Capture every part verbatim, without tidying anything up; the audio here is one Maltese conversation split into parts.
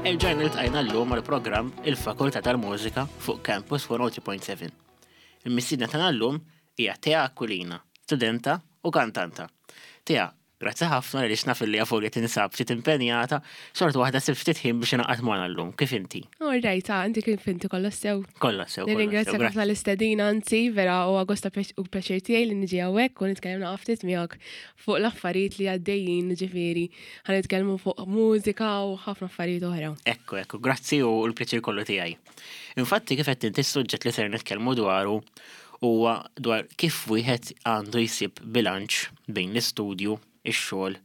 Erġajna ltqajna llum għal-programm Il-Fakultà tal-Mużika fuq Campus mija u tlieta punt seba'. Il-mistiedna tagħna llum hija Tea Aquilina, studenta u kantanta. Tea, grazzi ħafna li naf li għafolja tinsab ftit impenjata, xorta waħda sibt ftit ħin biex ingħaqad magħna llum. Kif inti? All right, ah, inti kif inti, kollox sew? Kollha sew. Nirringrazzja ħafna l-istedina, anzi, vera u gost u pjaċir tiegħi li niġi hawnhekk u nitkellem ftit miegħek fuq l-affarijiet li għaddejjin, ġifieri, ħa nitkellmu fuq mużika u ħafna affarijiet oħra. Ekku, ekku, grazzi u l-pjaċir kollu tiegħi. Infatti, kif qed inti, s-suġġett li ser nitkellmu dwaru huwa dwar kif wieħed għandu jsib bilanċ bejn l-istudju, ix-xogħol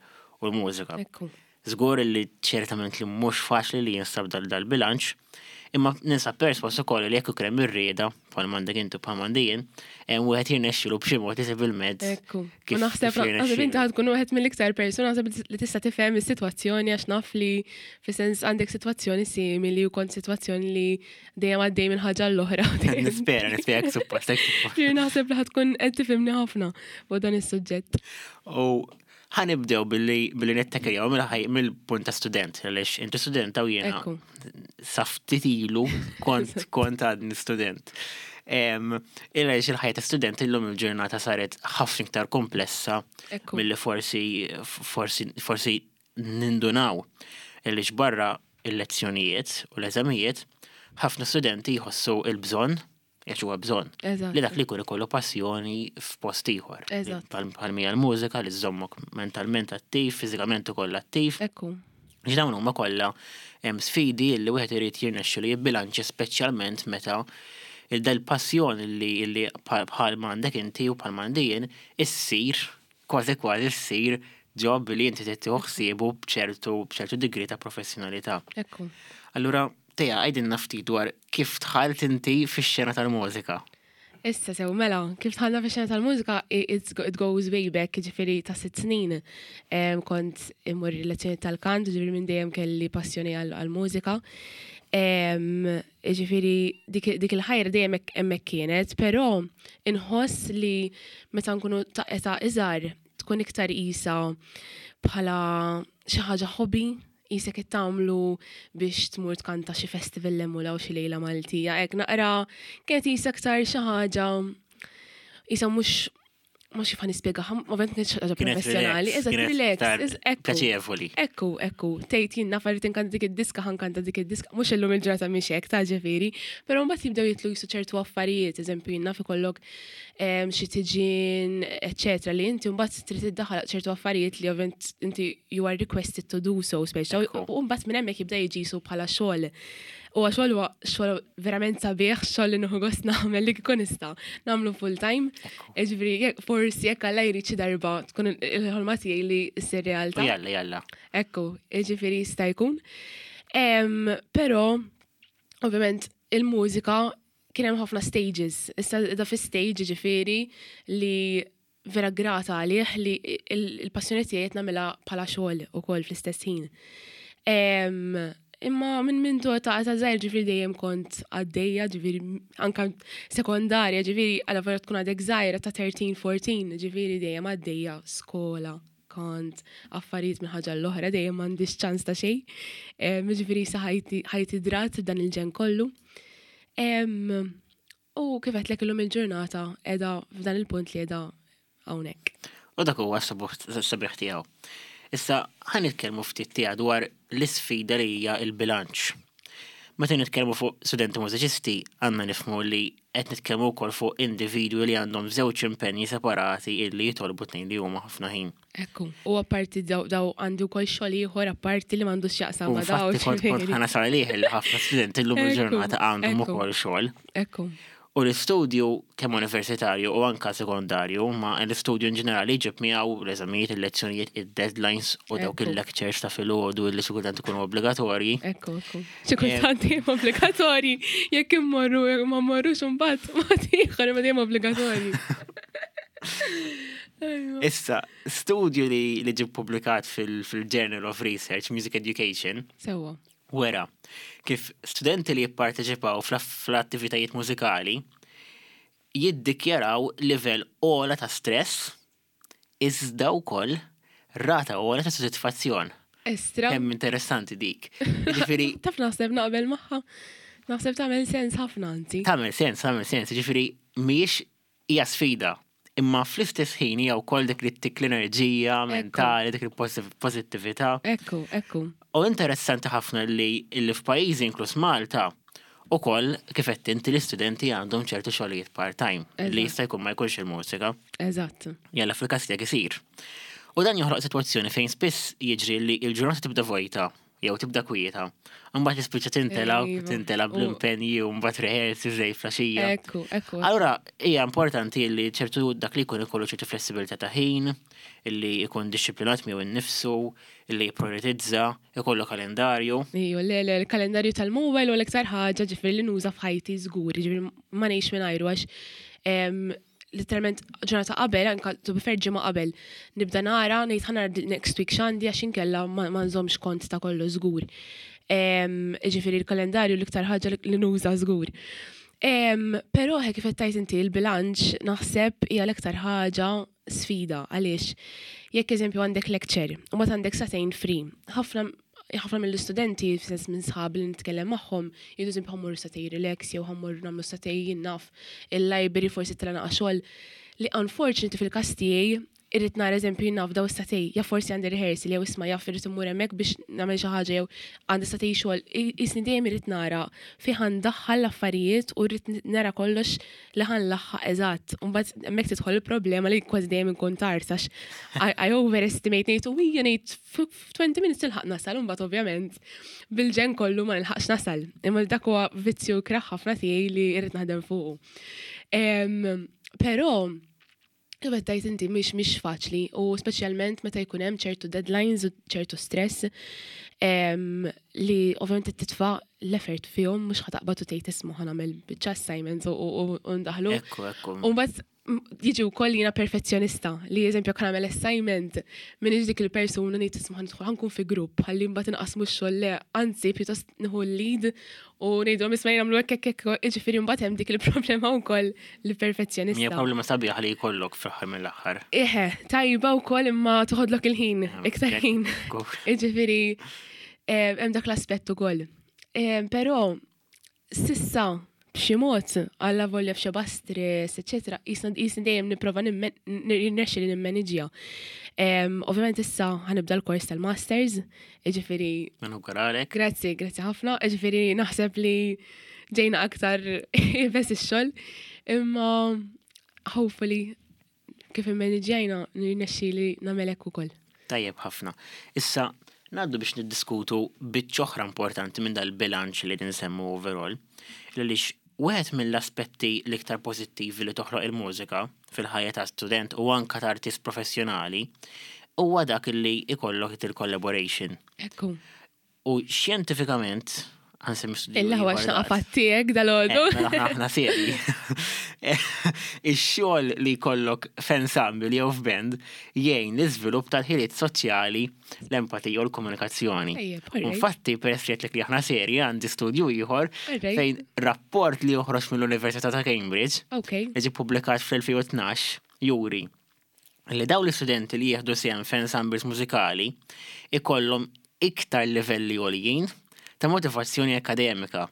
u l-mużika. Ekku. Żgur li ċertament li mhux faċli li jinstab dal dal-bilanċ, imma ninsab persważ ukoll li jekk ikun hemm ir-rieda, bħal m'għandek inti, bħal m'għandi jien, hemm wieħed jirnexxilu b'xi mod isib il-mezz. Ekku. Kif U naħseb kif naħseb inti jirnexxilu. ħa tkun wieħed mill-iktar persuna naħseb li tista' tifhem is-sitwazzjoni, għax naf li fis-sens għandek sitwazzjoni simili u kont sitwazzjoni li dejjem għaddej minn ħaġa l-oħra. Nispera, nispera, hekk suppost, hekk suppost. Ġifieri naħseb li ħa tkun qed tifhimni ħafna fuq dan is-suġġett. U ħa nibdew billi billi nittakiljaw mill-ħaj mill-punt ta' student, għaliex inti studenta u jiena Ekku. sa ftit ilu kont kont għadni student. Em, Illa il-ħajja ta' student illum il-ġurnata saret ħafna iktar komplessa Ekku. milli forsi forsi forsi nindunaw. Għaliex barra il-lezzjonijiet u l-eżamijiet, ħafna studenti jħossu il-bżonn, għax huwa bżonn, Eżatt. li dak li jkun ikollu passjoni f'post ieħor. Eżatt. Bħal mija l-mużika li żżommok mentalment attiv, fiżikament ukoll attiv. Ekku. Għax dawn huma kollha hemm sfidi li wieħed irid jirnexxilu jibbilanċja, speċjalment meta il-dal-passjoni li li bħal bħal m'għandek inti u bħal m'għandi jien issir kważi kważi ssir job li inti trid tieħu ħsiebu b'ċertu b'ċertu degree ta' professjonalità. Ekku. Allura, Tea, għidilna ftit dwar kif dħalt inti fix-xena tal-mużika. Issa sew, mela, kif dħalna fi xena tal-mużika, i- it's go- it goes way back, ġifieri ta' sitt snin. Em, Kont immur lezzjoni tal-kant, ġifieri minn dejjem kelli passjoni għal-mużika. Ġifieri dik dik il-ħajra dejjem hekk- hemmhekk kienet, però inħoss li meta nkunu ta' età iżgħar tkun iktar isa bħala xi ħaġa hobby, qisek qed tagħmlu biex tmur tkanta xi festival l u xi lejla Maltija. Hekk naqra kienet isa aktar xi ħaġa isa mhux mhux kif nispjega, ovvjament kienet xi ħaġa Kienet professjonali, relax, eżatt, kienet relax, iktar eż- ekku. pjaċevoli. Ekku, ekku, tgħid jien naf irrid inkanta dik id-diska, ħa nkanta dik id-diska, mhux illum il-ġurnata mhix hekk ta' ġifieri, però mbagħad jibdew jidħlu jisu ċertu affarijiet, eżempju jien naf ikollok em, xi tiġin, eċetera, li inti mbagħad trid iddaħħal ċertu affarijiet li ovvjament inti you are requested to do so, speċa, Ekku. u mbagħad minn hemmhekk jibda jiġi su bħala xogħol. U xogħol huwa xogħol verament sabiħ, xogħol li nieħu gost nagħmel, li kieku nista' nagħmlu full time. Ġifieri, jekk- forsi jekk Alla jrid xi darba tkun il-ħolma tiegħi li ssir U realtà. jalla, jalla. Ekku, ġifieri jista' jkun. Em, Però, ovvjament, il-mużika kien hemm ħafna stages. Issa da fi stage ġifieri li vera grata għalih li il- il-passjoni tiegħi qed nagħmilha bħala xogħol ukoll fl-istess ħin. Em, Imma minn minn ta' ta' żgħir ġifieri dejjem kont għaddejja, ġifieri anka sekondarja, ġifieri għala vera tkun għadek żgħira ta' tlettax, erbatax, ġifieri dejjem għaddejja skola, kont affarijiet minn ħaġa l-oħra, dejjem m'għandix ċans ta' xejn. Em, Ġifieri sa ħajti ħajti drat dan il-ġen kollu. Em, U kif għedtlek, illum il-ġurnata qiegħda f'dan il-punt li qiegħda hawnhekk. U dak huwa s-sabiħ tiegħu. Issa ħa nitkellmu ftit tiegħu dwar l-isfida li hija il-bilanċ. Meta nitkellmu fuq studenti mużiċisti, għandna nifhmu li qed nitkellmu wkoll fuq individwi li għandhom żewġ impenji separati illi jitolbu tnejn li huma ħafna ħin. Ekku. U apparti daw daw għandi wkoll xogħol ieħor apparti li m'għandux x'jaqsam U ma' daw. infatti kont kont ġifieri. ħa nasal għalih li ħafna studenti llum Ekku, il-ġurnata għandhom ekku. ukoll xogħol. Ekku. U l-istudju kemm universitarju u anka sekondarju, ma l-istudju in ġenerali jġib miegħu l-eżamijiet, il-lezzjonijiet, il-deadlines u dawk Ekku. il-lectures ta' filgħodu li xi kultant ikunu obbligatorji. Ekku, ekku. Xi kultant dejjem obbligatorji. Jekk immorru, jekk ma mmorrux imbagħad ma ieħor, imma dejjem obbligatorji. Ejwa. Issa, studju li li ġie publikat fil-Journal of Research Music Education Sewwa. wera kif studenti li jipparteċipaw fl-attivitajiet mużikali jiddikjaraw livell ogħla ta' stress iżda wkoll rata ogħla ta' sodisfazzjon. Estra. Kemm interessanti dik. Ġifieri Taf naħseb naqbel magħha. Naħseb tagħmel sens ħafna anzi. Tagħmel sens, tagħmel sens, ġifieri mhijiex hija sfida. Imma fl-istess ħin hija wkoll dik li ttik l-enerġija mentali, dik il-pożittività. Ekku, ekku. U interessanti ħafna li li f'pajjiżi inkluż Malta ukoll kif qed inti l-istudenti għandhom ċertu xogħlijiet part-time li Eżatt. jista' jkun ma jkunx il-mużika. Eżatt. Jalla fil-każ tiegħek isir. U dan joħloq sitwazzjoni fejn spiss jiġri li l-ġurnata tibda vojta jew tibda kwieta. Mbagħad tispiċċa tintela Iva. tintela U- bl-impenji u mbagħad rehearsals żej filgħaxija. Ekku, ekku. Allura, hija importanti li ċertu dak li jkun ikollu ċertu flessibilità ta' ħin, illi jkun dixxiplinat miegħu innifsu, illi jipprioritizza, ikollu kalendarju. Iju, le, le, l-kalendarju tal-mobile u l-iktar ħaġa ġifieri li nuża f'ħajti żgur, ġifieri ma ngħix mingħajru għax em, literalment ġurnata qabel, anka to be fair ġimgħa qabel, nibda nara ngħid ħa nara next week x'għandi għax inkella ma ma nżommx kont ta' kollu żgur. Em, Ġifieri l-kalendarju l-iktar ħaġa li nuża żgur. Em, Però hekk kif qed tgħid inti l-bilanċ naħseb hija l-iktar ħaġa sfida għaliex jekk eżempju għandek lecture u ma għandek sagħtejn free, ħafna ħafna mill-istudenti, f'sens minn sħab li nitkellem magħhom, jgħidu eżempju ħa mmur sagħtejn relax jew ħa mmur nagħmlu sagħtejn jien naf il-library forsi tela naqa xogħol li unfortunately fil-każ tiegħi irrid nara eżempju jien naf daw is-sagħtejn, ja forsi għandi rehearsal jew isma' jaf irrid immur hemmhekk biex nagħmel xi ħaġa jew għandi sagħtejn xogħol. Jisni dejjem irrid nara fi ħa ndaħħal l-affarijiet u rrid nara kollox li ħa nlaħħaq eżatt. U mbagħad hemmhekk tidħol il-problema li kważi dejjem inkun tard għax I, I overestimate ngħid u hija ngħid f'20 minutes nilħaq nasal u mbagħad ovvjament bil-ġen kollu ma nilħaqx nasal. Imma dak huwa vizzju ikrah ħafna tiegħi li irrid naħdem fuqu. Em, Però Kif qed tgħid inti mhix mhix faċli u speċjalment meta jkun hemm ċertu deadlines u ċertu stress em, li ovvjament titfa' l-effort fihom mhux ħa taqbad u tgħid isma' ħa nagħmel biċċa assignments u- u u ndaħlu. Ekku, ekku. U mbagħad m- jiġi wkoll jiena perfezzjonista li eżempju jekk nagħmel assignment m'iniex dik il-persuna ngħid isma' ħa nidħol ħa nkun fi grupp ħalli mbagħad inqasmu x-xogħol le anzi pjuttost nieħu l-lead u ngħidhom isma' nagħmlu hekk hekk hekk jiġifieri mbagħad hemm dik il-problema wkoll li Hija perfezzjonista. problema sabiħa li jkollok fl-aħħar mill-aħħar. Eħe, tajba wkoll imma toħodlok il-ħin, iktar ħin. Ekku. Jiġifieri eh, hemm dak l-aspett ukoll. Eh, Però s'issa b'xi mod alla volja f'xeba stress, eċetera, jisna jisni dejjem nipprova nirnexxi li nimmaniġġja. Em, Ovvjament issa ħa nibda l-kors tal-masters, jiġifieri Nawguralek. Grazzi, grazzi ħafna. Ġifieri naħseb li ġejna aktar bes ix-xogħol, imma hopefully kif immaniġġjajna nirnexxi li nagħmel hekk ukoll. Tajjeb ħafna. Issa, ngħaddu biex niddiskutu biċċa oħra importanti minn dal-bilanċ li nsemmu overall. Għaliex wieħed mill-aspetti l-iktar pożittivi li toħloq il-mużika fil-ħajja ta' student u anka ta' artist professjonali huwa dak li ikollok il-collaboration. Ekku. U xjentifikament, ħa nsemmi studju Illa huwa ieħor x'naqa daqs. fattiek dal-għodu. Eh, mela aħna aħna seri. Ix-xogħol li jkollok f'ensemble jew f'band jgħin l-iżvilupp tal-ħiliet soċjali, l-empatija u l-komunikazzjoni. Ejjeb, alright. Infatti, peress li għedtlek li aħna seri għandi studju ieħor Alright. fejn rapport li joħroġ mill-Università ta' Cambridge Ok. li ġie publikat fl-elfejn u tnax juri li daw l-istudenti li jieħdu sehem f'ensembles mużikali ikollhom iktar livelli għoljin ta' motivazzjoni akademika.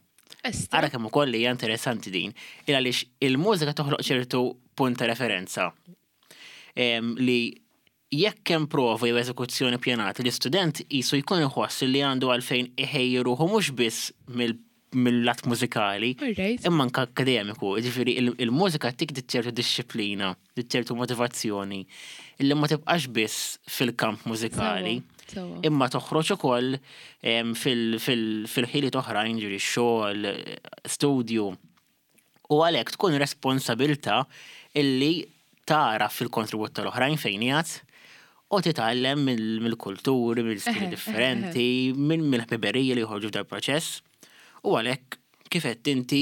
Estra. Ara kemm ukoll hija interessanti din, il għaliex il-mużika toħloq ċertu punt ta' referenza. Em, li jekk hemm prova jew eżekuzzjoni pjanata, l-istudent jisu jkun iħoss li għandu għalfejn iħejji ruħu mhux biss mill- mill-lat mużikali, Alright. imma anka akademiku, ġifieri il- il-mużika tik ċertu dixxiplina, ċertu motivazzjoni, illi ma tibqax biss fil-kamp mużikali. Sewwa. Imma toħroġ ukoll em, fil- fil- fil-ħiliet oħrajn, ġifieri xogħol, studju. U għalhekk tkun responsabilta illi tara fil-kontribut tal-oħrajn fejn jgħat u titgħallem mill- mill-kulturi, mill-stili Eħe, eħe, differenti, minn mill-ħbiberiji li joħorġu f'dal proċess. U għalhekk kif qed inti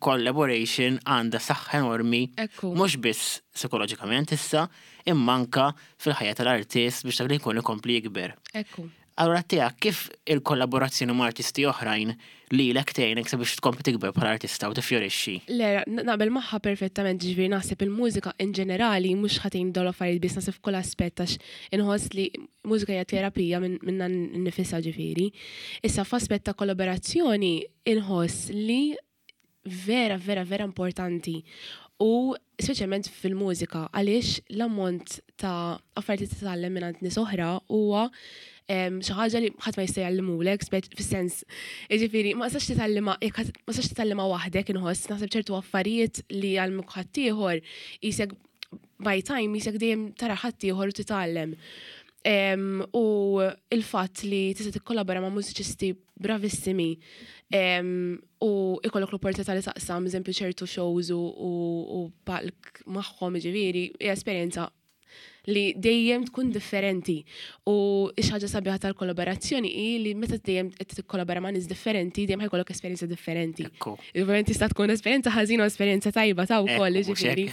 dil-collaboration għandha saħħa enormi Ekku. mhux biss psikoloġikament issa, imma anka fil-ħajja tal-artist biex dak li jkun ikompli jikber. Ekku. Allura tiegħek kif il-kollaborazzjoni ma' artisti oħrajn li lek tgħinek sabiex tkompli tikber bħala artista u tifjorixxi? Le, naqbel magħha perfettament, ġifieri naħseb il-mużika in ġenerali, mhux ħa tgħin dawn l-affarijiet biss, naħseb f'kull aspett, għax inħoss li mużika hija terapija minnha nnifisha, ġifieri. Issa f'aspett ta' kollaborazzjoni inħoss li vera, vera, vera importanti. U speċjalment fil-mużika, għaliex l-ammont ta' affarijiet li titgħallem minn nies oħra huwa xi ħaġa li ħadd ma jista' jgħallimulek, fis-sens, jiġifieri ma tistax titgħallimha jekk ma tistax titgħallimha waħdek. Inħoss, naħseb ċertu affarijiet li jgħallmuk ħaddieħor, qisek by time qisek dejjem tara ħaddieħor u titgħallem. U il-fatt li tista' tikkollabora ma' mużiċisti bravissimi u ikollok l-opportunità li taqsam, eżempju, ċertu shows u palk magħhom, ġifieri, hija esperjenza li dejjem tkun differenti. U xi ħaġa sabiħa tal-kollaborazzjoni hi li meta dejjem qed tikkollabora ma' nies differenti, dejjem ħa jkollok esperjenza differenti. Ovvjament tista' tkun esperjenza ħażina u esperjenza tajba ta' wkoll, ġifieri.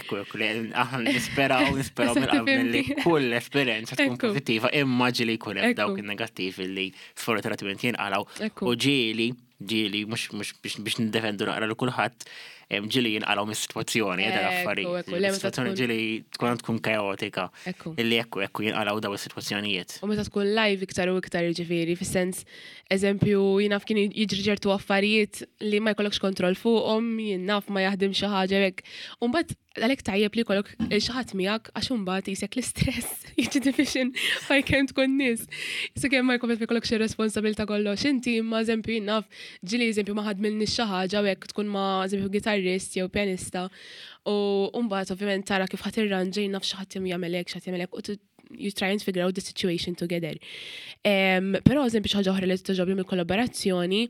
Aħna nisperaw, nisperaw mill li kull esperjenza tkun pożittiva, imma ġieli jkun hemm dawk in-negattivi li sfortunatament jinqalgħu. U ġieli, ġieli, mhux biex nindefendu naqra lil kulħadd, ġieli jinqalgħu mis-sitwazzjoni, eh, dal-affarijiet. Is-sitwazzjoni ġieli tkun tkun kaotika. Illi ekku ekku jinqalgħu daw is-sitwazzjonijiet. U meta tkun live iktar u iktar, ġifieri, fis-sens, eżempju, jien naf kien jiġri ċertu affarijiet li ma jkollokx kontroll fuqhom, jien naf ma jaħdem xi ħaġa hekk. U mbagħad għalhekk tajjeb li jkollok xi ħadd miegħek, għax imbagħad qisek l-istress jiġi division għal kemm tkun nies. Issa kemm ma jkollok jkollok xi responsabilità kollox inti, imma eżempju, jien naf ġieli, eżempju, ma ħadmilniex xi ħaġa u hekk tkun ma', eżempju, gitarrist jew pjanista u mbagħad ovvjament tara kif ħa tirranġa, jien naf xi ħadd jagħmel hekk, xi ħadd jagħmel hekk, u you try and figure out the situation together. Um, però eżempju, xi ħaġa oħra li togħġobni mill-kollaborazzjoni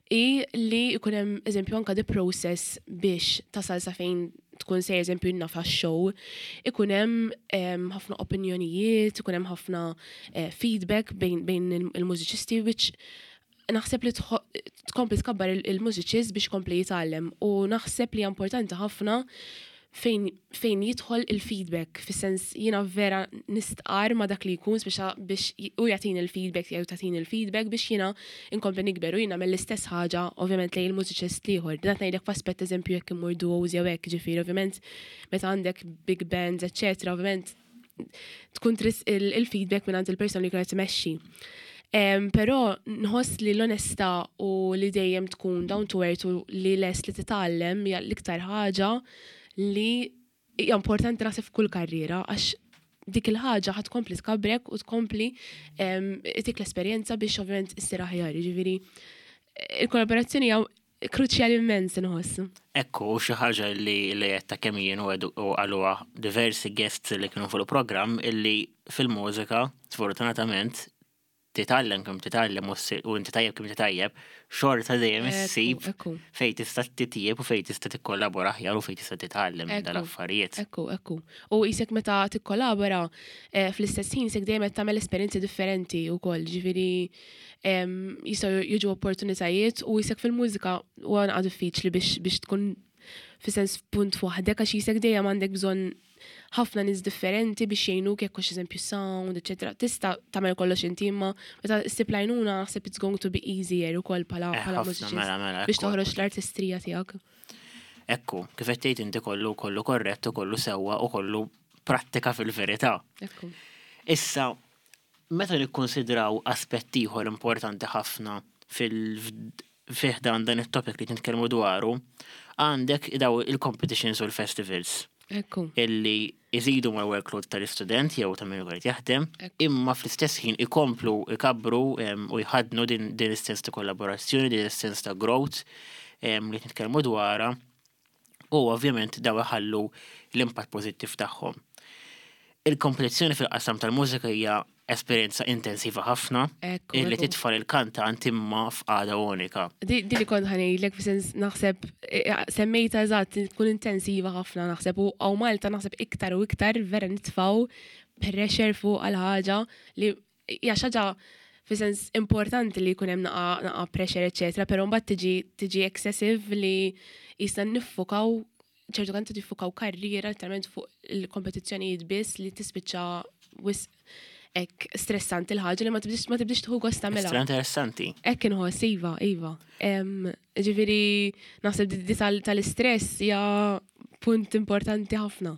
hi li jkun hemm, eżempju, anka the process biex tasal sa fejn tkun se, eżempju, naf show, ikun hemm ħafna opinjonijiet, ikun hemm ħafna eh, feedback bejn, bejn il-mużiċisti, which naħseb li tkompli tkabbar il-mużiċist biex kompli jitgħallem u naħseb li importanti ħafna fejn, fejn jidħol il-feedback, fis-sens jiena vera nistqar ma dak li jkun biex biex u jagħtini il-feedback jew tagħtini il-feedback biex jiena inkompli nikber u jiena mill-istess ħaġa ovvjament lejn il-mużiċist l-ieħor. Dan ngħidlek f'aspett, eżempju, jekk immur duos jew hekk, ġifieri ovvjament meta għandek big bands, eċċetera, ovvjament tkun trid il-feedback minn il-persona li kienet tmexxi. Um, Però nħoss li l-onestà u li dejjem tkun down to earth u li lest li titgħallem hija l-iktar ħaġa li hija importanti naħseb f'kull karriera, għax dik il-ħaġa ħa tkompli tkabrek u tkompli tik l-esperjenza biex ovvjament issir aħjar. Ġifieri il-kollaborazzjoni hija kruċjali immens, inħoss. Ekku, xi ħaġa li li qed ta' kemm jien u għaluha diversi guests li kienu fuq il-programm, illi fil-mużika, sfortunatament, titgħallem kemm titgħallem u inti tajjeb kemm tajjeb, xorta dejjem issib fejn tista' titjieb u fejn tista' tikkollabora aħjar u fejn tista' titgħallem dal-affarijiet. Ekku, ekku. U qisek meta tikkollabora eh, fl-istess ħin qisek dejjem qed tagħmel esperjenzi differenti wkoll, ġifieri jistgħu jiġu opportunitajiet u qisek fil-mużika huwa naqra diffiċli biex biex tkun fi sens punt waħdek, għax qisek dejjem għandek bżonn ħafna nies differenti biex jgħinuk, jekk hux, eżempju, sound, eċetera. Tista' tagħmel kollox inti, imma meta ssib l-għajnuna naħseb it's going to be easier ukoll bħala eh, bħala mużiċist mela, mela, biex toħroġ l-artistrija tiegħek. Ekku, kif qed tgħid inti, kollu kollu korrett u kollu sewwa u kollu prattika fil-verità. Ekku. Issa, meta nikkonsidraw aspett ieħor importanti ħafna fil fih dan dan it-topic li nitkellmu dwaru, għandek daw il-competitions u l-festivals Ekku. illi iżidu mal workload tal-istudent jew ta' min qed jaħdem, Ekku. imma fl-istess ħin ikomplu ikabru em, u jħadnu din din is-sens ta' kollaborazzjoni, din is-sens ta' growth em, li nitkellmu dwarha u ovvjament daw iħallu l-impatt pożittiv tagħhom. Il-kompetizzjoni fil-qasam tal-mużika hija esperjenza intensiva ħafna Ekku. illi ekku. titfa' il-kantant imma f'qagħda unika. Di di li kont ħa ngħidlek, fis-sens naħseb eh, semmejta eżatt, tkun intensiva ħafna naħseb, u hawn Malta naħseb iktar u iktar vera nitfaw pressure fuq għal ħaġa li hija xi ħaġa fis-sens importanti li jkun hemm naqa, naqa pressure, eċetera, però mbagħad tiġi tiġi excessive li jista' niffukaw ċertu kanti tiffukaw karriera literalment fuq il-kompetizzjonijiet biss li tispiċċa wisq. hekk stressanti l-ħaġa li ma tibdix ma tibdix tieħu gost tagħmilha. Extra interessanti. Hekk inħoss, iva, iva. Em, Ġifieri naħseb di- di tal- tal-istress hija punt importanti ħafna.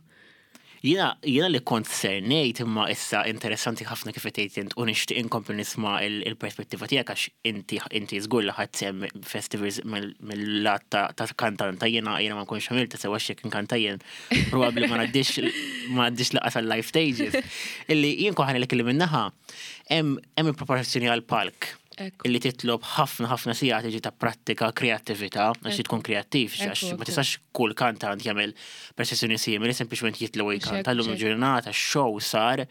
Jiena jiena li kont ser ngħid, imma issa interessanti ħafna kif qed int u nixtieq inkompli nisma' il- il-perspettiva tiegħek, għax inti inti żgur li ħadt sehem festivals mill- mill-lat ta' ta' kantanta. jiena jiena ma nkunx għamilta sewa xek nkanta jien, probabbli ma ngħaddix ma ngħaddix lanqas għal live stages. Illi jien koħan li kelli minnaħa hemm hemm il-preparazzjoni għal palk Ekku. illi titlob ħafna ħafna sigħat iġi ta' prattika, kreattività, għax Ekku. tkun kreattiv, għax Ekku, ma ekku. tistax kull kantant jagħmel prestazzjoni simili, sempliċement jitlu u jkanta. Hekk, Llum hekk. il-ġurnata show sar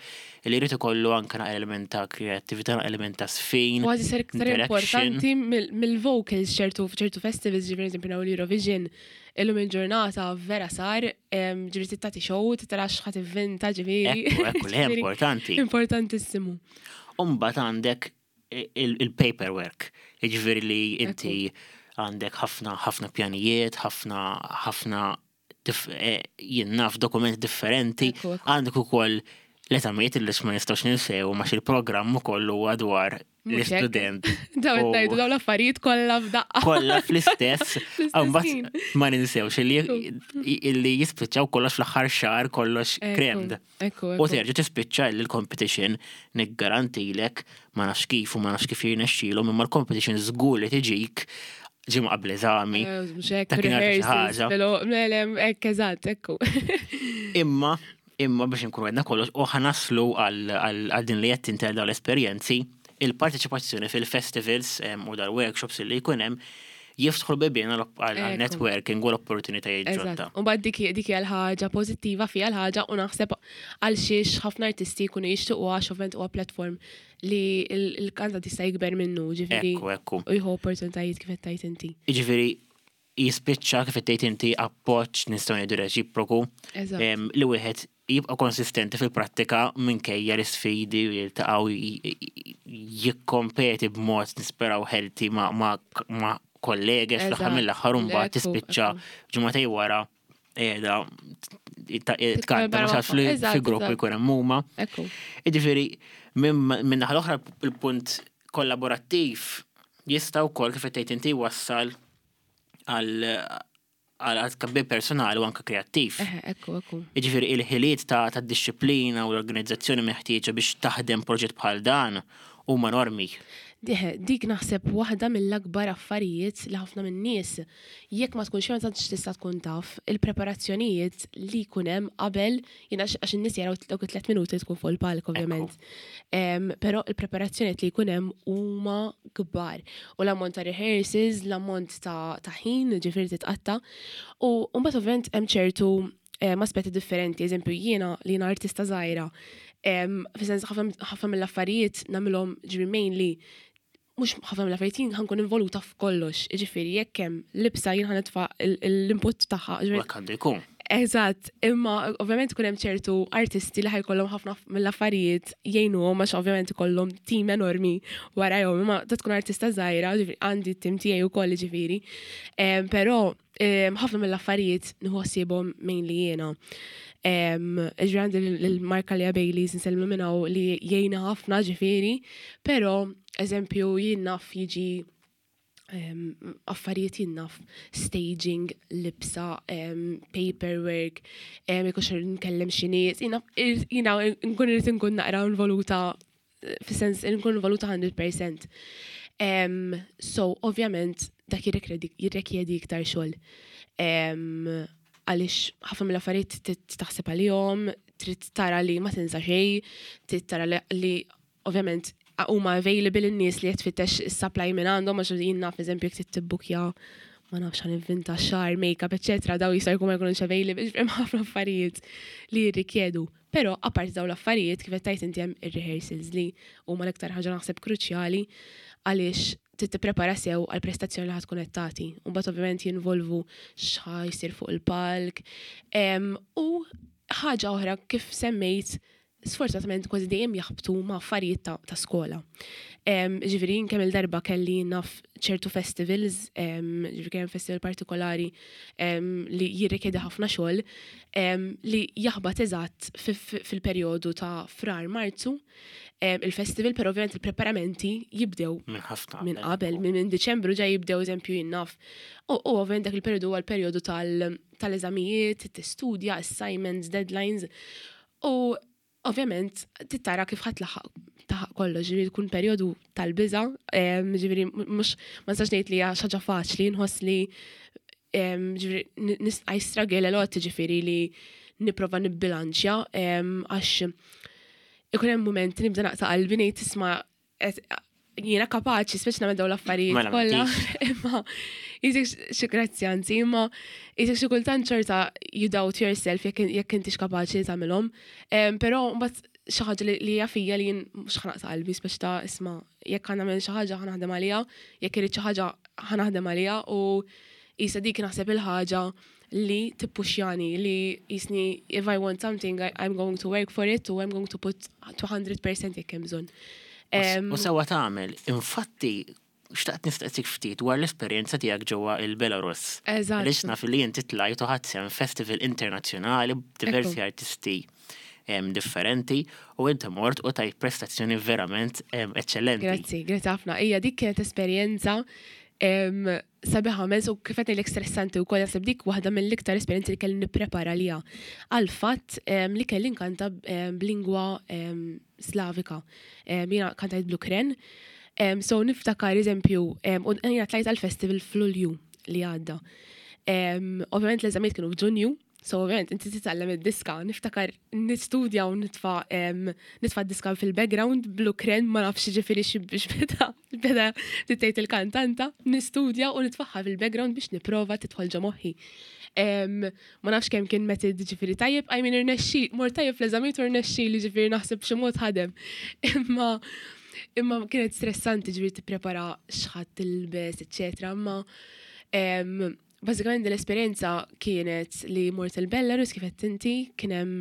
li jrid ikollu anke na element ta' kreattività, element ta' sfin. Kważi ser iktar interaction. importanti mill- mill-vocals ċertu ċertu festivals, ġifieri eżempju naw l-Eurovision, illum il-ġurnata vera sar, em, ġifieri tagħti show, tara x'ħa tivvinta, ġifieri. Ekku, ekku, li Ġifieri, importanti. Importantissimu. Umbagħad għandek il- il-paperwork, jiġifieri li inti għandek ħafna ħafna pjanijiet, ħafna ħafna dif- eh, jien naf dokumenti differenti, Ekku, ekku. għandek ukoll l-eżamijiet li ma nistgħux ninsew ma il-programm ukoll huwa dwar Mhux hekk. l-istudent. Daw U- qed ngħidu dawn l-affarijiet kollha f'daqqa. Kollha fl-istess, Fl-istess mbagħad ħin. ma ninsewx illi illi jispiċċaw kollox fl-aħħar xahar, kollox Ekku, crammed. Ekku, U ekku. terġa' tispiċċa li l-competition, niggarantilek, ma nafx kif u ma nafx kif jirnexxielhom, imma l-competition żgur li tiġik ġimgħa qabel eżami. Eh, mhux hekk, Ta' kien għarfa xi rehearsals, ħaġa. filo- mele, hekk eżatt, ekku. Imma imma biex nkunu għedna kollox u ħa naslu għal għal din li qed tintel dawn l-esperjenzi, il-parteċipazzjoni fil-festivals em, u dal-workshops li jkun hemm jiftħu l-bibien għal għal Ekku. networking u l-opportunitajiet ġodda. Eżatt. U mbagħad dik dik hija l-ħaġa pożittiva fiha l-ħaġa u naħseb għal xiex ħafna artisti jkunu jixtiequ, għax ovvjament huwa platform li l-kantant jista' jikber minnu, ġifieri Ekku, ekku. u jieħu opportunitajiet kif qed tgħid inti. Jiġifieri jispiċċa, kif qed tgħid inti, appoġġ, nistgħu ngħidu, reċiproku Eżatt. em, li wieħed jibqa' konsistenti fil-prattika minkejja l-isfidi u jiltaqgħu j- j- jikkompeti b'mod nisperaw healthy ma' ma' ma' kollegi fl-aħħar Eżatt. mill-aħħar, u mbagħad Ekku, tispiċċa ekku. ġimagħtejn wara qiegħda tkanta Eżatt, mhux fi grupp eżatt. jkun hemm huma. Ekku. Jiġifieri minn naħa l-oħra il-punt kollaborattiv jista' wkoll, kif qed tgħid inti, wassal għal għal tkabbir personali u anke kreattiv. Eħe, ekku, ekku. Jiġifieri il-ħiliet ta' ta' disċiplina u l-organizzazzjoni meħtieġa biex taħdem proġett bħal dan huma enormi. Diħe, dik naħseb waħda mill-akbar affarijiet li ħafna minn nies jekk ma tkunx ma tantx tista' tkun taf il-preparazzjonijiet li jkun hemm qabel, jiena għax għax in-nies jaraw dawk it-tliet minuti tkun fuq il-palk, ovvjament. Em, Però il-preparazzjonijiet li jkun hemm huma kbar. U l-ammont ta' rehearsals, l-ammont ta' ta' ħin, ġifieri titqatta. U mbagħad ovvjament hemm ċertu em, aspetti differenti, eżempju jiena li jiena artista żgħira, em, fis-sens ħafna ħafna mill-affarijiet nagħmilhom, ġifieri mainly mhux ħafna mill-affarijiet, jien ħa nkun involuta f'kollox, ġifieri jekk hemm libsa jien ħa nitfa' l-input tagħha. U ġifieri hekk għandu jkun. Eżatt, imma ovvjament ikun hemm ċertu artisti li ħa jkollhom ħafna mill-affarijiet jgħinuhom għax ovvjament ikollhom team enormi warajhom, imma ta' tkun artista żgħira, ġifieri għandi t-tim tiegħi wkoll ġifieri. Em, Però em, ħafna mill-affarijiet nieħu ħsiebhom mainly jiena. Em, Ġifieri għandi l-Marka Lea Baileys, nsellmu minn hawn, li jgħinna ħafna ġifieri, però eżempju jien naf jiġi um, affarijiet, jien naf staging, libsa, um, paperwork, um, jekk nkellem xi nies, jiena jiena nkun irrid nkun naqra involuta, fis-sens nkun involuta mija fil-mija. Um, so, ovvjament, dak jirrikjedi jirrikjedi iktar xogħol. Um, għaliex ħafna mill-affarijiet trid taħseb għalihom, trid tara li ma tinsa xejn, trid tara li, li ovvjament huma available in-nies li qed tfittex is-supply minn għandhom, għax jien naf, eżempju, jekk trid tibbukja, ma nafx, ħa nivvinta, xagħar, make-up, eċetera, daw jista' jkun ma jkunux available, ġifieri ħafna affarijiet li jirrikjedu. Però apparti daw l-affarijiet, kif qed tgħid inti, hemm ir-rehearsals li huma l-iktar ħaġa naħseb kruċjali għaliex trid tipprepara sew għal prestazzjoni li ħa tkun qed tagħti. U mbagħad ovvjament jinvolvu x'ħa jsir fuq il-palk. Em, U ħaġa oħra, kif semmejt, sfortunatament kważi dejjem jaħbtu ma' affarijiet ta', ta' skola. Ġifieri kemm il-darba kelli naf ċertu festivals, ġifieri kemm festival partikolari li jirrikjedi ħafna xogħol li jaħbat eżatt fil-perjodu ta' Frar, Marzu il-festival, però ovvjament il-preparamenti jibdew minn ħafna minn qabel, minn Diċembru ġa jibdew, eżempju, jien naf. U ovvjament dak il-perjodu huwa l-perjodu tal-eżamijiet, tistudja, assignments, deadlines. U ovvjament tittara kif ħa tlaħħaq ta' kollox, ġifieri tkun perjodu tal-biża', ġifieri mhux ma nistax ngħid li hija xi ħaġa faċli, nħoss li ġifieri I struggle a lot, ġifieri li nipprova nibbilanċja, għax ikun hemm moment nibda naqta' qalbi, ngħid, "Isma', jiena kapaċi speċi nagħmel dawn l-affarijiet Mela, kollha." Imma jisek xi, grazzi anzi, imma jisek xi kultant xorta you doubt yourself jekk jekk intix kapaċi li tagħmilhom. Però mbagħad xi ħaġa li hija fija li jien mhux ħa naqta' qalbi, speċi ta' isma', jekk ħa nagħmel xi ħaġa, ħa naħdem għaliha, jekk irid xi ħaġa, ħa naħdem għaliha. U isa dik naħseb il-ħaġa li tippuxjani li jisni if I want something, I, I'm going to work for it u I'm going to put two hundred percent jekk hemm bżonn. U sewwa tagħmel, infatti xtaqt nistaqsik ftit dwar l-esperjenza tiegħek ġewwa il-Belarus. Eżatt. Għaliex naf li inti tlajt u ħadt sehem festival internazzjonali b'diversi artisti em, differenti u inti mort u tajt prestazzjoni verament em, eccellenti. Grazzi, grazzi ħafna. Ija, dik kienet esperjenza em, sabiħa mezz u kif qed ngħidlek stressanti wkoll. Naħseb dik waħda mill-iktar esperjenzi li kelli nipprepara liha. Għal fatt em, li kelli nkanta em, b'lingwa em, Slavika. Em, Jiena kantajt bl-Ukren. Em, So niftakar, eżempju, em, u jiena tlajt għal-festival f'Lulju li għadda. Em, Ovvjament l-eżamijiet kienu f'Ġunju, so ovvjament inti titgħallem id-diska, niftakar nistudja u nitfa' em, nitfa' d-diska fil-background bl-Ukren, ma nafx ġifieri xi biex beda beda tgħid il-kantanta, nistudja u nitfaħħa fil-background biex niprova tidħol ġo moħħi. Em, ma nafx kemm kien method ġifieri tajjeb, I mean, irnexxi, mor tajjeb fl-eżamijiet u irnexxi li, ġifieri naħseb xi mod ħadem. Imma imma kienet stressanti, ġifieri tipprepara x'ħa tilbes, eccetera. Imma em, bażikament l-esperjenza kienet li mort il-Belarus, kif qed inti, kien hemm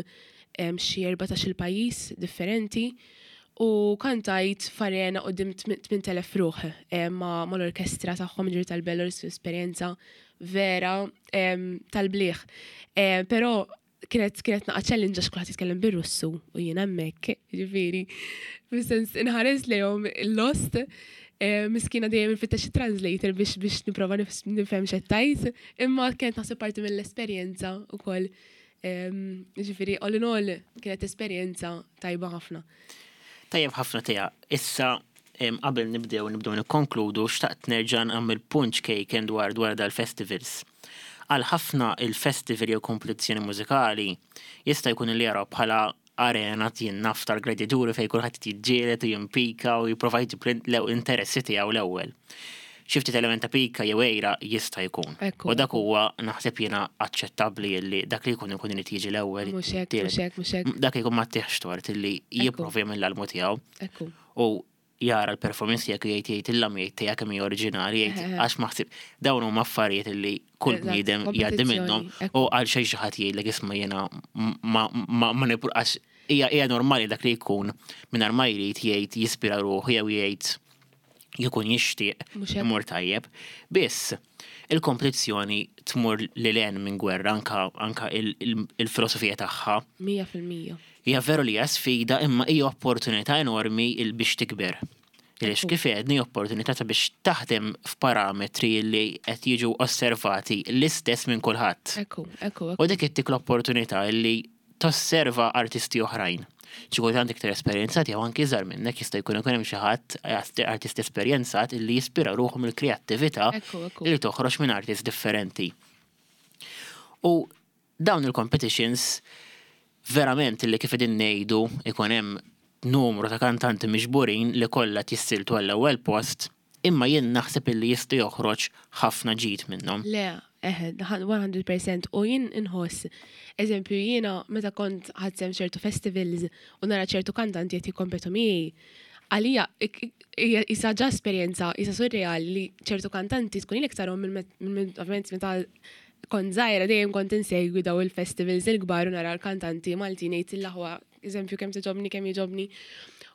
em, xi erbatax-il pajjiż differenti u kantajt f'arena quddiem tmint elef ruħ em, ma' mal-orkestra tagħhom, ġifieri tal-Belarus, esperjenza vera em, tal-bliħ. Em, Però kienet kienet naqa challenge għax kulħadd jitkellem bir-Russu u jien hemmhekk, ġifieri, fis-sens inħares lejhom lost, eh, miskina dejjem infittex translator biex biex nipprova nif- nifhem x'qed, imma kienet naħseb parti mill-esperjenza wkoll. Em, Ġifieri, all in all, kienet esperjenza tajba ħafna. Tajjeb ħafna tija. Issa em, qabel nibdew nibdew nikkonkludu, xtaqt nerġa' nagħmel punt kejken dwar dwar dal-festivals. Għal ħafna il-festival jew kompetizzjoni mużikali jista' jkun li jaraw bħala arena, jien naf, tal-gradjaturi fejn kulħadd jiġġieled u jimpika u jipprova jġib l interessi tiegħu l-ewwel. Xi ftit element ta' pika jew għira jista' jkun. Ekku. U dak huwa naħseb jiena aċċettabbli li dak li jkun ikun irid jiġi l-ewwel. Mhux hekk, mhux hekk, mhux hekk. Dak jkun ma tieħx tort illi jipprova jagħmel l-almu tiegħu Ekku. u jara l-performance tiegħek u jgħid jgħid il-lam jgħid tiegħek kemm hija oriġinali, jgħid Eħe. għax maħsib dawn huma affarijiet illi kull Eżatt, bniedem jgħaddi minnhom kompetizzjoni, ekku. u għal xejn xi ħadd jgħidlek, "Isma', jiena ma ma ma nipru," għax hija hija normali dak li jkun mingħajr ma jrid jgħid jispira ruħu jew jgħid jkun jixtieq Mhux hekk. imur tajjeb. Biss il-kompetizzjoni tmur lil hinn minn gwerra, anka anka il- il- il-filosofija tagħha. Mija fil-mija. Hija veru li hija sfida, imma hija opportunità enormi il biex tikber. Għaliex Ekku. kif għedni, opportunità ta' biex taħdem f'parametri li qed jiġu osservati l-istess minn kulħadd. Ekku, ekku, U ekku. dik ittik l-opportunità li tosserva artisti oħrajn. Xi kultant iktar esperjenzati jew anki iżgħar minnek, jista' jkun ikun hemm xi ħadd artist esperjenzat illi jispira ruħu mill-kreattività Ekku, ekku. li toħroġ minn artist differenti. U dawn il-competitions verament li kif qegħdin ngħidu ikun hemm numru ta' kantanti miġburin li kollha jissieltu għall-ewwel post, imma jien naħseb illi jista' joħroġ ħafna ġid minnhom. Le, eħe, mija fil-mija. U jien inħoss, eżempju, jiena meta kont ħadt sehem ċertu festivals u nara ċertu kantanti qed jikkompetu miegħi, għalija hija isa ġa esperjenza, isa surreali li ċertu kantanti tkun ilek tarahom minn ovvjament meta kont żgħira, dejjem kont insegwi daw il-festivals il-kbar u nara l-kantanti Maltin, ngħid il-aħwa, eżempju, kemm togħġobni, kemm jogħġobni.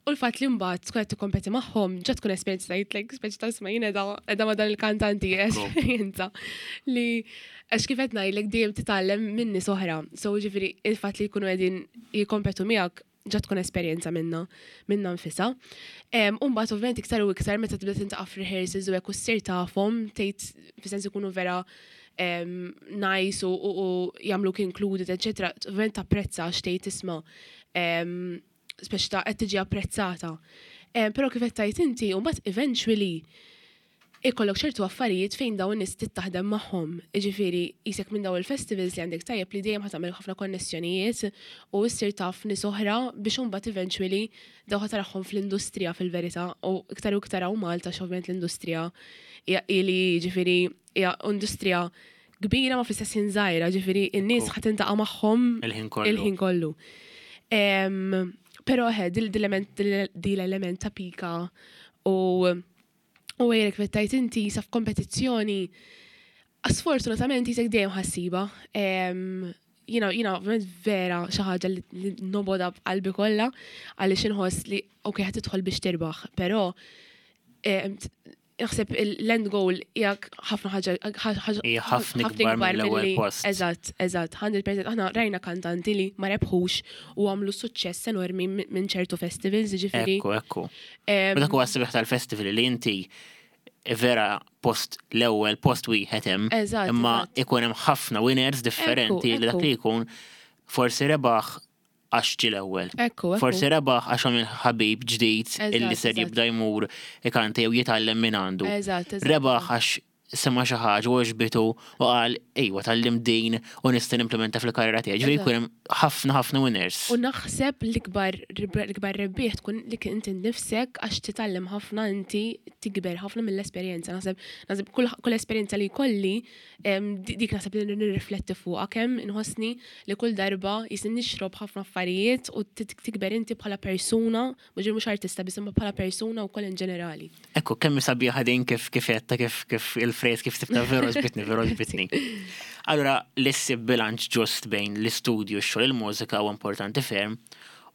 U l-fatt li mbagħad tkun qed tikkompeti magħhom, ġa tkun esperjenza tgħid like speċi ta' isma' jien qiegħda qiegħda ma' dan il-kantanti esperjenza li għax kif qed ngħidlek dejjem titgħallem minn nies oħra. So ġifieri il-fatt li jkunu qegħdin jikkompetu miegħek ġa tkun esperjenza minna minna nfisha. U mbagħad ovvjament iktar u iktar meta tibda tiltaqa' f'rehearsals u hekk u ssir tafhom tgħid fis-sens ikunu vera em, nice u, u, u jagħmluk included, eccetera. Ovvjament tapprezza għax tgħid isma' em, speċi ta' qed tiġi apprezzata. Em, Però kif qed tgħid inti, u mbagħad eventually ikollok ċertu affarijiet fejn dawn in-nies taħdem magħhom. Jiġifieri qisek minn dawn il-festivals li għandek tajjeb li dejjem ħa tagħmel ħafna konnessjonijiet u ssir taf nies oħra biex imbagħad eventually dawn ħa tarahom fl-industrija fil-verità u iktar u iktar hawn Malta ovvjament l-industrija hija ili ġifieri hija industrija kbira ma fl-istess ħin żgħira, ġifieri n-nies ħa tiltaqa' magħhom Il-ħin kollu. il-ħin kollu. Em, Però eħe, dil-element ta' pika u u għajrek vettajt inti sa f'kompetizzjoni, sfortunatament qisek dejjem ħa ssibha. Jiena, jiena, ovvjament vera xi ħaġa li li nobgħodha b'qalbi kollha għaliex inħoss li ok ħa tidħol biex tirbaħ, però em, t- naħseb l-end goal hija ħafna ħaġa ħaġa- Hija ħafna ikbar mill-ewwel milli- post. Eżatt, eżatt, mija fil-mija. Aħna rajna kantanti li ma rebħux u għamlu suċċess enormi minn minn ċertu festivals, ġifieri. Ekku, ekku. em, U dak huwa s-sabiħ tal-festival li inti vera post l-ewwel post wieħed hemm, Eżatt, imma eżatt. ikun hemm ħafna winners differenti li dak ekku. li jkun forsi rebaħ għax ġie l-ewwel. Ekku, ekku. Forsi rebaħ għax għamil ħabib ġdid illi Eżatt, ser eżatt. jibda jmur ikanta jew jitgħallem minn għandu. Eżatt, eżatt. Rebaħ għax sema xi ħaġa u għoġbitu u qal ejwa tgħallimt din u nista' nimplementa fil-karriera tiegħi. Ġifieri Eżatt. jkun hemm ħafna ħafna winners. U naħseb l-ikbar l-ikbar rebbieħ tkun li inti nifsek għax titgħallem ħafna inti tikber ħafna mill-esperjenza. Naħseb naħseb kull kull esperjenza li jkolli em, di- dik naħseb li nirrifletti fuqha kemm inħossni li kull darba jisin nixrob ħafna affarijiet u tit- tikber inti bħala persuna, mhux mhux artista biss imma bħala persuna wkoll in ġenerali. Ekku, kemm sabiħa din kif kif għedtha kif kif il-phrase kif sibtha veru għoġbitni, veru għoġbitni. Allora, l-issib bilanċ ġust bejn l-istudju xogħol il-mużika huwa importanti ferm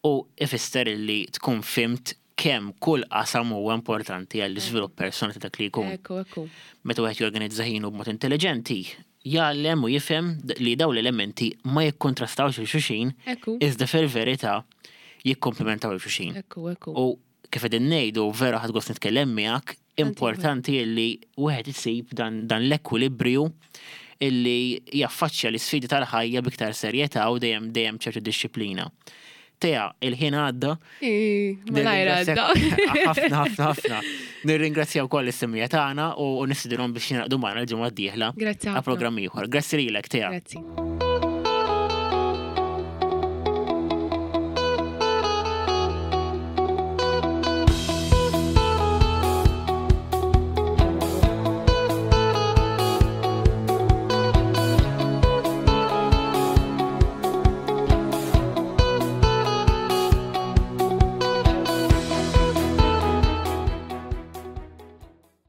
u ifisser li tkun fhimt kemm kull qasam huwa importanti għall-iżvilupp personali ta' dak li jkun. Ekku, ekku. Meta wieħed jorganizza ħinu b'mod intelligenti, jgħallem u jifhem li dawn l-elementi ma jikkontrastawx lil xulxin, Ekku. iżda fil-verità jikkomplementaw lil xulxin. Ekku, ekku. U kif qegħdin ngħidu vera ħadt gost nitkellem miegħek, importanti li wieħed isib dan, dan l-ekwilibrju illi jaffaċċja l-isfidi tal-ħajja biktar serjetà u dejjem dejjem ċertu dixxiplina. Tea, il-ħin għadda. Ih, Malajr għadda. Ħafna, ħafna, ħafna. Nirringrazzjaw koll is-semmiegħa tagħna u nistedinhom biex jingħaqdu magħna l-ġimgħa d-dieħla Grazzi għal ħafna. programm ieħor. Grazzi lilek, Tea. Grazzi.